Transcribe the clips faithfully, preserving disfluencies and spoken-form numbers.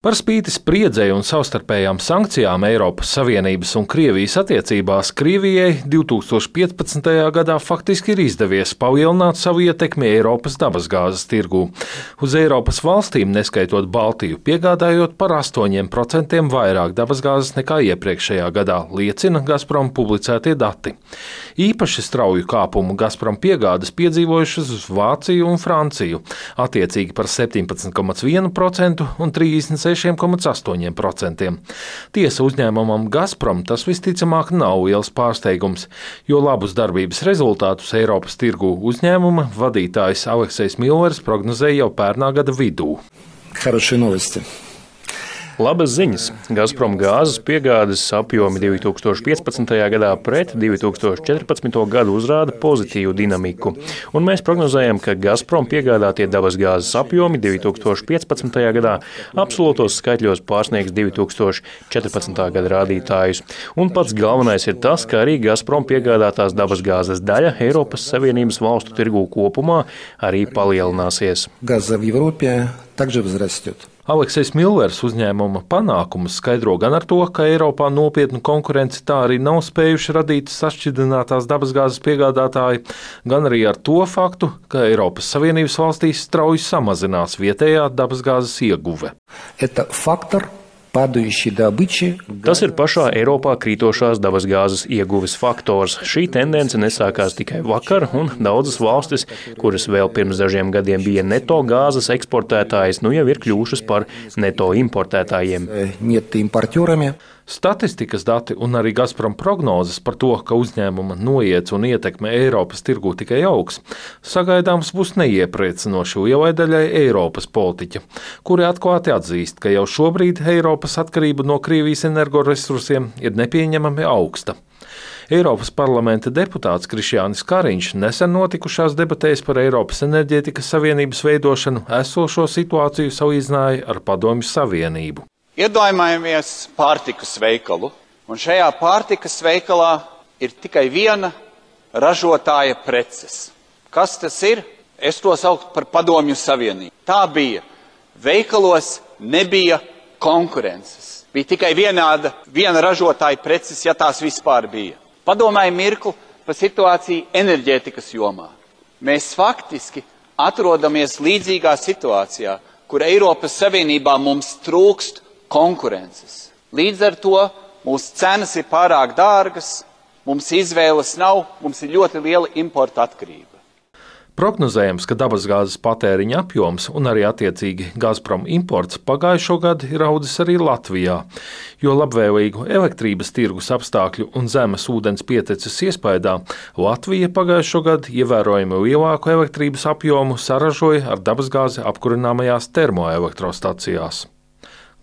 Par spīti spriedzei un savstarpējām sankcijām Eiropas Savienības un Krievijas attiecībās, Krievijai divs tūkstoši piecpadsmitajā gadā faktiski ir izdevies palielināt savu ietekmi Eiropas dabasgāzes tirgū. Uz Eiropas valstīm, neskaitot Baltiju, piegādājot par astoņiem procentiem vairāk dabasgāzes nekā iepriekšējā gadā, liecina Gazprom publicētie dati. Īpaši strauju kāpumu Gazprom piegādes piedzīvojušas uz Vāciju un Franciju, attiecīgi par septiņpadsmit komats vienu procentu un trīsdesmit seši komats astoņi procenti. Tiesa, uzņēmumam Gazprom tas visticamāk nav liels pārsteigums, jo labus darbības rezultātus Eiropas tirgū uzņēmuma vadītājs Aleksejs Millers prognozēja jau pērnā gada vidū. Хорошие новости. Labas ziņas. Gazprom gāzes piegādes apjomi divs tūkstoši piecpadsmitajā gadā pret divs tūkstoši četrpadsmito gadu uzrāda pozitīvu dinamiku. Un mēs prognozējam, ka Gazprom piegādātie dabasgāzes apjomi divs tūkstoši piecpadsmitajā gadā absolūtos skaitļos pārsniegs divs tūkstoši četrpadsmitā gada rādītājus. Un pats galvenais ir tas, ka arī Gazprom piegādātās dabasgāzes daļa Eiropas Savienības valstu tirgū kopumā arī palielināsies. Газа в Европе также возрастет. Aleksejs Millers uzņēmuma panākumus skaidro gan ar to, ka Eiropā nopietnu konkurenci tā arī nav spējuši radīt sašķidrinātās dabasgāzes piegādātāji, gan arī ar to faktu, ka Eiropas Savienības valstīs strauji samazinās vietējā dabasgāzes ieguve. Это фактор падающей добычи. Tas ir pašā Eiropā krītošās dabasgāzes ieguves faktors. Šī tendence nesākās tikai vakar, un daudzas valstis, kuras vēl pirms dažiem gadiem bija neto gāzes eksportētājas, nu jau ir kļuvušas par neto importētājiem. Neto-importērami. Statistikas dati un arī Gazprom prognozes par to, ka uzņēmuma noiets un ietekme Eiropas tirgū tikai augs, sagaidāms būs neiepriecinoši lielai daļai Eiropas politiķa, kuri atklāti atzīst, ka jau šobrīd Eiropas atkarība no Krievijas energoresursiem ir nepieņemami augsta. Eiropas parlamenta deputāts Krišjānis Kariņš nesen notikušās debatēs par Eiropas enerģētikas savienības veidošanu esošo situāciju salīdzināja ar Padomju Savienību. Iedomājamies pārtikas veikalu, un šajā pārtikas veikalā ir tikai viena ražotāja preces. Kas tas ir? Es to saucu par Padomju Savienību. Tā bija. Veikalos nebija konkurences. Bija tikai vienāda, viena ražotāja preces, ja tās vispār bija. Padomāju mirkli par situāciju enerģētikas jomā. Mēs faktiski atrodamies līdzīgā situācijā, kur Eiropas Savienībā mums trūkst konkurences. Līdz ar to mūsu cenas ir pārāk dārgas, mums izvēles nav, mums ir ļoti liela importa atkarība. Prognozējams, ka dabasgāzes patēriņa apjoms un arī attiecīgi Gazprom imports pagājušo gadu ir audzis arī Latvijā, jo labvēlīgu elektrības tirgus apstākļu un zemes ūdens pieteces iespējā Latvija pagājušo gadu ievērojami lielāku elektrības apjomu saražoja ar dabasgāzi apkurināmajās termoelektrostacijās.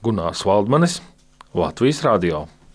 Gunārs Valdmanis, Latvijas radio.